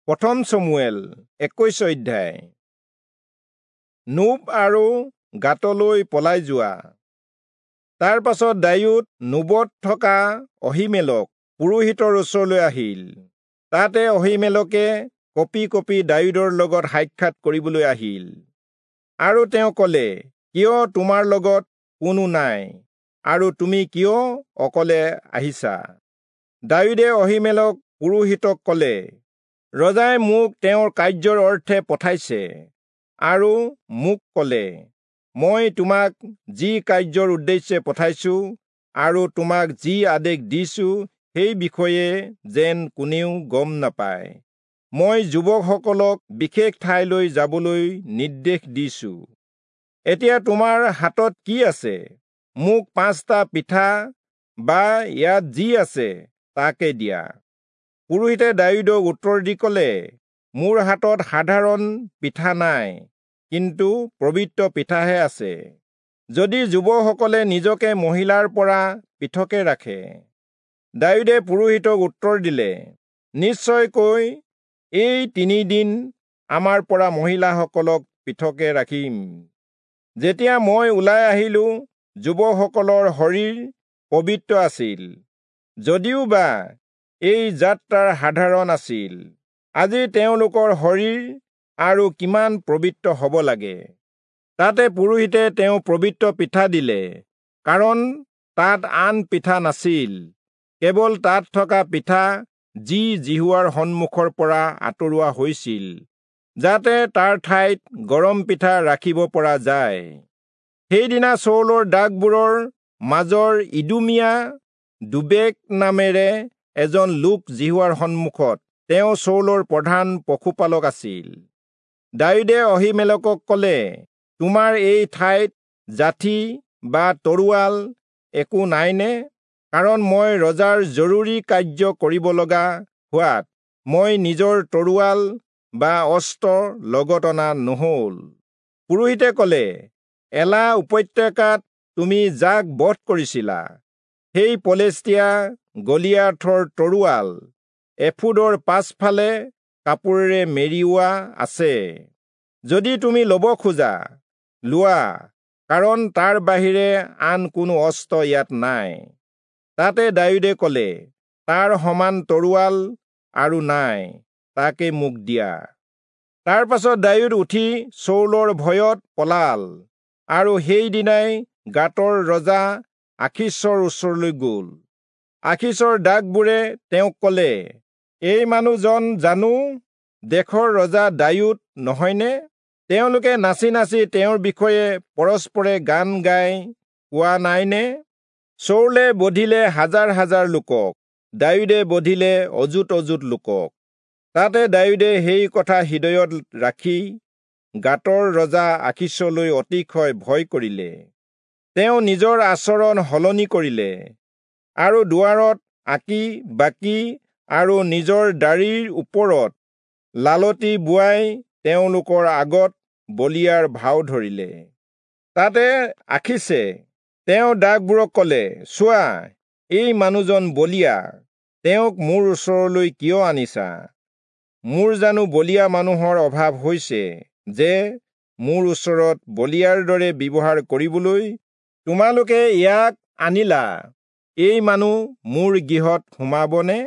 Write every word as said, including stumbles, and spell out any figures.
প্ৰথম চমুৱেল একৈশ অধ্যায়। নোব আৰু গাতলৈ পলাই যোৱা। তাৰ পাছত দায়ূদ নোবত থকা অহীমেলক পুৰোহিতৰ ওচৰলৈ আহিল। তাতে অহীমেলকে কঁপি কঁপি দায়ূদৰ লগত সাক্ষাৎ কৰিবলৈ আহিল। আৰু তেওঁ কলে, কিয় তোমাৰ লগত কোনো নাই আৰু তুমি কিয় অকলে আহিছা? দায়ূদে অহীমেলক পুৰোহিতক কলে, ৰজাই মোক তেওঁৰ কাৰ্যৰ অৰ্থে পঠাইছে আৰু মোক কলে, মই তোমাক যি কাৰ্যৰ উদ্দেশ্যে পঠাইছো আৰু তোমাক যি আদেশ দিছো সেই বিষয়ে যেন কোনেও গম নাপায়। মই যুৱকসকলক বিশেষ ঠাইলৈ যাবলৈ নিৰ্দেশ দিছো। এতিয়া তোমাৰ হাতত কি আছে? মোক পাঁচটা পিঠা বা ইয়াত যি আছে তাকে দিয়া। পুৰোহিতে দায়ূদক উত্তৰ দি কলে, মোৰ হাতত সাধাৰণ পিঠা নাই, কিন্তু পবিত্ৰ পিঠাহে আছে, যদি যুৱকসকলে নিজকে মহিলাৰ পৰা পৃথকে ৰাখে। দায়ূদে পুৰোহিতক উত্তৰ দিলে, নিশ্চয়কৈ এই তিনিদিন আমাৰ পৰা মহিলাসকলক পৃথকে ৰাখিম। যেতিয়া মই ওলাই আহিলো, যুৱকসকলৰ শৰীৰ পবিত্ৰ আছিল, যদিওবা এই যাত্ৰাৰ সাধাৰণ আছিল। আজি তেওঁলোকৰ শৰীৰ আৰু কিমান পবিত্ৰ হ'ব লাগে। তাতে পুৰোহিতে তেওঁ পবিত্ৰ পিঠা দিলে, কাৰণ তাত আন পিঠা নাছিল, কেৱল তাত থকা পিঠা যি যিহোৱাৰ সন্মুখৰ পৰা আঁতৰোৱা হৈছিল, যাতে তাৰ ঠাইত গৰম পিঠা ৰাখিব পৰা যায়। সেইদিনা চৌলৰ দাসবোৰৰ মাজৰ ইদুমীয়া দোৱেগ নামেৰে এজন লোক যিহোৱাৰ সন্মুখত, তেওঁ চৌলৰ প্ৰধান পশুপালক আছিল। দায়ূদে অহীমেলকক কলে, তোমাৰ এই ঠাইত যাঠি বা তৰোৱাল একো নাইনে? কাৰণ মই ৰজাৰ জৰুৰী কাৰ্য কৰিব লগা হোৱাত মই নিজৰ তৰোৱাল বা অস্ত্ৰ লগত অনা নহল। পুৰোহিতে কলে, এলা উপত্যকাত তুমি যাক বধ কৰিছিলা, সেই পলেষ্টীয়া গলিয়াথৰ তৰোৱাল এফোদৰ পাছফালে কাপোৰেৰে মেৰিওৱা আছে। যদি তুমি লব খোজা লোৱা, কাৰণ তাৰ বাহিৰে আন কোনো অস্ত্ৰ ইয়াত নাই। তাতে দায়ূদে কলে, তাৰ সমান তৰোৱাল আৰু নাই, তাকে মোক দিয়া। তাৰ পাছত দায়ূদ উঠি চৌলৰ ভয়ত পলাল, আৰু সেইদিনাই গাতৰ ৰজা আখীচৰ ওচৰলৈ গল। আখীচৰ দাসবোৰে তেওঁক কলে, এই মানুহজন জানো দেশৰ ৰজা দায়ূদ নহয়নে? তেওঁলোকে নাচি নাচি তেওঁৰ বিষয়ে পৰস্পৰে গান গাই কোৱা নাইনে? চৌলে বধিলে হাজাৰ হাজাৰ লোকক, দায়ূদে বধিলে অযুত অযুত লোকক। তাতে দায়ূদে সেই কথা হৃদয়ত ৰাখি গাতৰ ৰজা আখীচলৈ অতিশয় ভয় কৰিলে। তেওঁ নিজৰ আচৰণ সলনি কৰিলে আৰু দুৱাৰত আঁকি বাকি আৰু নিজৰ দাড়িৰ ওপৰত লালটি বোৱাই তেওঁলোকৰ আগত বলিয়াৰ ভাও ধৰিলে। তাতে আখীচে তেওঁ দাসবোৰক কলে, চোৱা, এই মানুহজন বলিয়া, তেওঁক মোৰ ওচৰলৈ কিয় আনিছা? মোৰ জানো বলিয়া মানুহৰ অভাৱ হৈছে যে মোৰ ওচৰত বলিয়াৰ দৰে ব্যৱহাৰ কৰিবলৈ তোমালোকে ইয়াক আনিলা? এই মানুহ মোৰ গৃহত সোমাবনে?